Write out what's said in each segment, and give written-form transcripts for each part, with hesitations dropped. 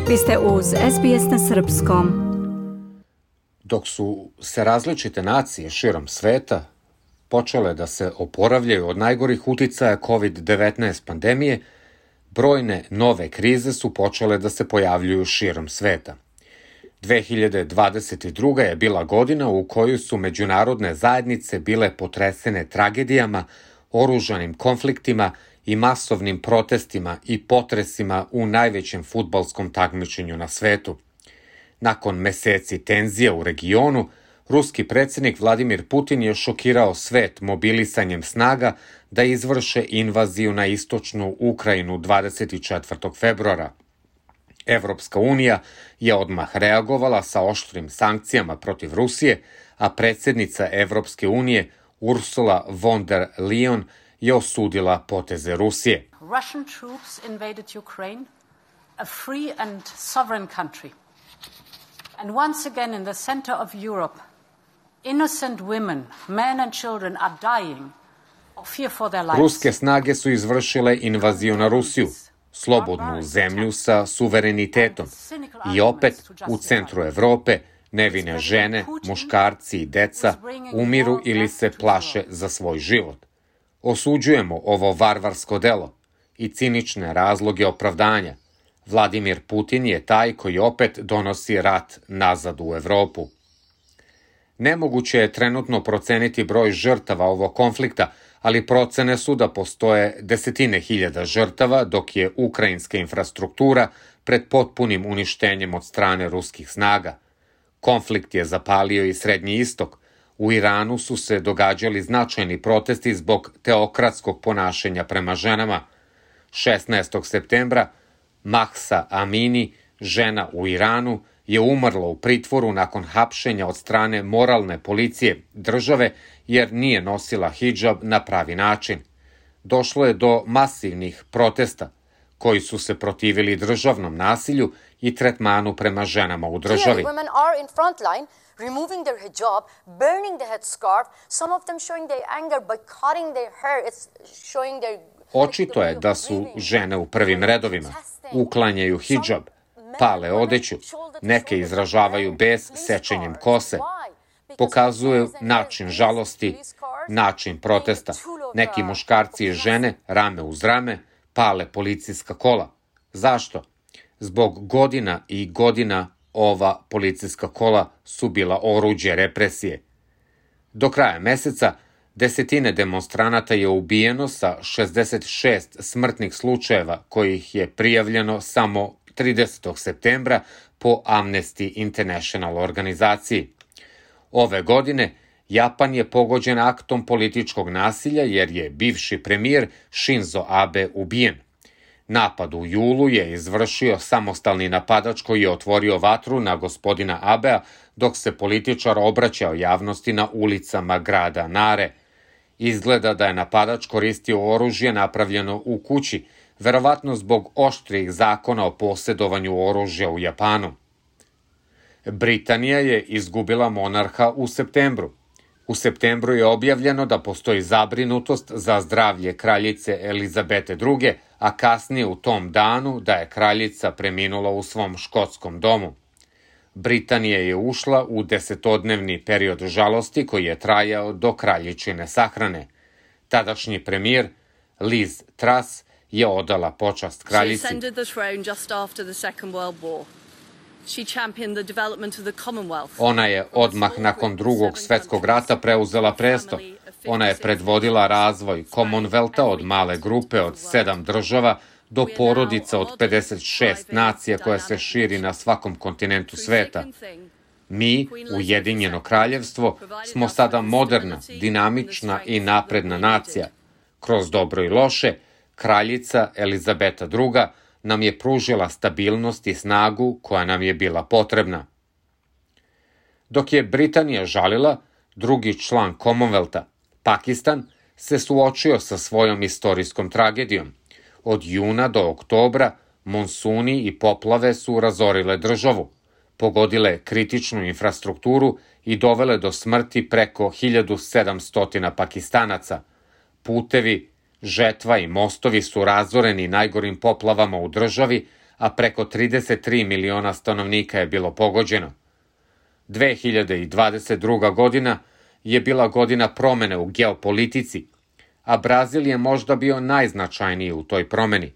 Vi ste uz SBS na srpskom. Dok su se različite nacije širom sveta počele da se oporavljaju od najgorih uticaja COVID-19 pandemije, brojne nove krize su počele da se pojavljuju širom sveta. 2022. je bila godina u kojoj su međunarodne zajednice bile potresene tragedijama, oružanim konfliktima i masovnim protestima i potresima u najvećem fudbalskom takmičenju na svetu. Nakon meseci tenzija u regionu, ruski predsjednik Vladimir Putin je šokirao svet mobilisanjem snaga da izvrše invaziju na istočnu Ukrajinu 24. februara. Evropska unija je odmah reagovala sa oštrim sankcijama protiv Rusije, a predsjednica Evropske unije Ursula von der Leyen je osudila poteze Rusije. Russian troops invaded Ukraine, a free and sovereign country. And once again in the center of Europe, innocent women, men and children are dying of fear for their lives. Ruske snage su izvršile invaziju na Rusiju, slobodnu zemlju sa suverenitetom. I opet, u centru Evrope, nevine žene, muškarci i deca umiru ili se plaše za svoj život. Osuđujemo ovo varvarsko delo i cinične razloge opravdanja. Vladimir Putin je taj koji opet donosi rat nazad u Evropu. Nemoguće je trenutno proceniti broj žrtava ovog konflikta, ali procene su da postoje desetine hiljada žrtava, dok je ukrajinska infrastruktura pred potpunim uništenjem od strane ruskih snaga. Konflikt je zapalio i Srednji istok. U Iranu su se događali značajni protesti zbog teokratskog ponašanja prema ženama. 16. septembra Mahsa Amini, žena u Iranu, je umrla u pritvoru nakon hapšenja od strane moralne policije države jer nije nosila hidžab na pravi način. Došlo je do masivnih protesta koji su se protivili državnom nasilju i tretmanu prema ženama u državi. Removing their hijab, burning the headscarf, some of them showing their anger by cutting their hair. It's showing their... Očito je da su žene u prvim redovima. Uklanjaju hidžab, pale odeću, neke izražavaju bes sečenjem kose. Pokazuju način žalosti, način protesta. Neki muškarci i žene, rame uz rame, pale policijska kola. Zašto? Zbog godina i godina ova policijska kola su bila oruđe represije. Do kraja meseca desetine demonstranata je ubijeno sa 66 smrtnih slučajeva kojih je prijavljeno samo 30. septembra po Amnesty International organizaciji. Ove godine Japan je pogođen aktom političkog nasilja jer je bivši premijer Shinzo Abe ubijen. Napad u julu je izvršio samostalni napadač koji je otvorio vatru na gospodina Abea dok se političar obraćao javnosti na ulicama grada Nare. Izgleda da je napadač koristio oružje napravljeno u kući, verovatno zbog oštrih zakona o posjedovanju oružja u Japanu. Britanija je izgubila monarha u septembru. U septembru je objavljeno da postoji zabrinutost za zdravlje kraljice Elizabete II, a kasnije u tom danu da je kraljica preminula u svom škotskom domu. Britanija je ušla u 10-dnevni period žalosti koji je trajao do kraljičine sahrane. Tadašnji premijer Liz Truss je odala počast kraljici. Ona je odmah nakon Drugog svjetskog rata preuzela presto. Ona je predvodila razvoj Commonwealtha od male grupe od 7 država do porodica od 56 nacija koja se širi na svakom kontinentu sveta. Mi, Ujedinjeno kraljevstvo, smo sada moderna, dinamična i napredna nacija. Kroz dobro i loše, kraljica Elizabeta II nam je pružila stabilnost i snagu koja nam je bila potrebna. Dok je Britanija žalila, drugi član Commonwealtha, Pakistan, se suočio sa svojom istorijskom tragedijom. Od juna do oktobra monsuni i poplave su razorile državu, pogodile kritičnu infrastrukturu i dovele do smrti preko 1700 Pakistanaca. Putevi, žetva i mostovi su razoreni najgorim poplavama u državi, a preko 33 miliona stanovnika je bilo pogođeno. 2022. godina je bila godina promene u geopolitici, a Brazil je možda bio najznačajniji u toj promeni.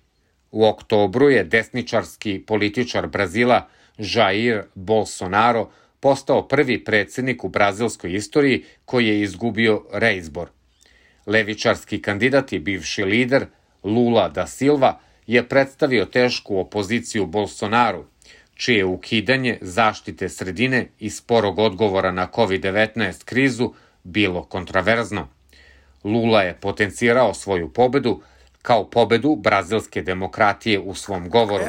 U oktobru je desničarski političar Brazila Jair Bolsonaro postao prvi predsjednik u brazilskoj istoriji koji je izgubio reizbor. Levičarski kandidat i bivši lider Lula da Silva je predstavio tešku opoziciju Bolsonaru, čije ukidanje zaštite sredine i sporog odgovora na COVID-19 krizu bilo kontraverzno. Lula je potencirao svoju pobedu kao pobedu brazilske demokratije u svom govoru.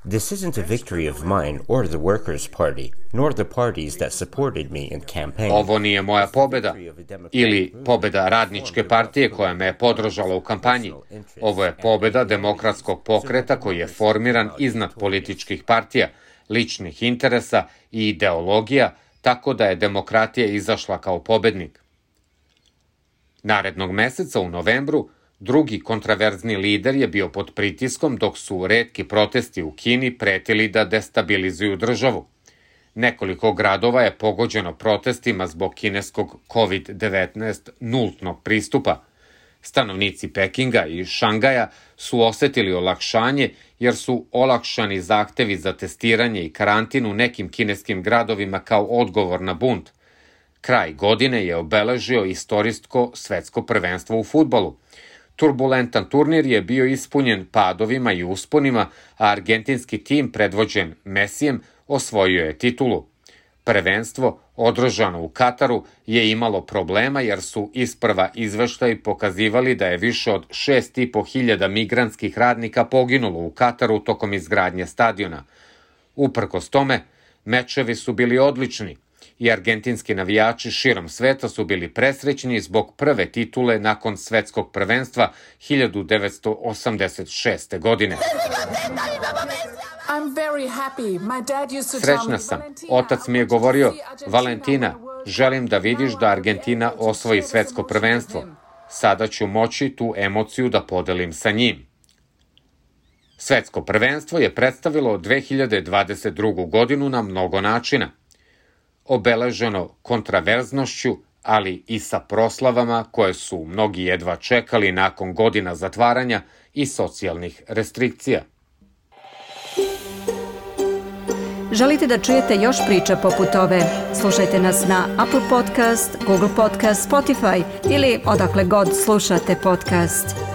This isn't a victory of mine or the Workers' Party, nor the parties that supported me in campaign. Ovo nije moja pobeda ili pobeda radničke partije koja me je podržala u kampanji. Ovo je pobeda demokratskog pokreta koji je formiran iznad političkih partija, ličnih interesa i ideologija, tako da je demokratija izašla kao pobednik. Narednog meseca u novembru drugi kontraverzni lider je bio pod pritiskom dok su retki protesti u Kini pretili da destabilizuju državu. Nekoliko gradova je pogođeno protestima zbog kineskog COVID-19 nultnog pristupa. Stanovnici Pekinga i Šangaja su osetili olakšanje jer su olakšani zahtevi za testiranje i karantin u nekim kineskim gradovima kao odgovor na bunt. Kraj godine je obeležio istorijsko svetsko prvenstvo u fudbalu. Turbulentan turnir je bio ispunjen padovima i usponima, a argentinski tim predvođen Mesijem osvojio je titulu. Prvenstvo, održano u Kataru, je imalo problema jer su isprva izveštaji pokazivali da je više od 6.500 migrantskih radnika poginulo u Kataru tokom izgradnje stadiona. Uprkos tome, mečevi su bili odlični i argentinski navijači širom sveta su bili presrećni zbog prve titule nakon svetskog prvenstva 1986. godine. Srećna sam. Otac mi je govorio, Valentina, želim da vidiš da Argentina osvoji svetsko prvenstvo. Sada ću moći tu emociju da podelim sa njim. Svetsko prvenstvo je predstavilo 2022. godinu na mnogo načina. Obeleženo kontraverznošću, ali i sa proslavama koje su mnogi jedva čekali nakon godina zatvaranja i socijalnih restrikcija. Želite da čujete još priča poput ove? Slušajte nas na Apple Podcast, Google Podcast, Spotify ili odakle god slušate podcast.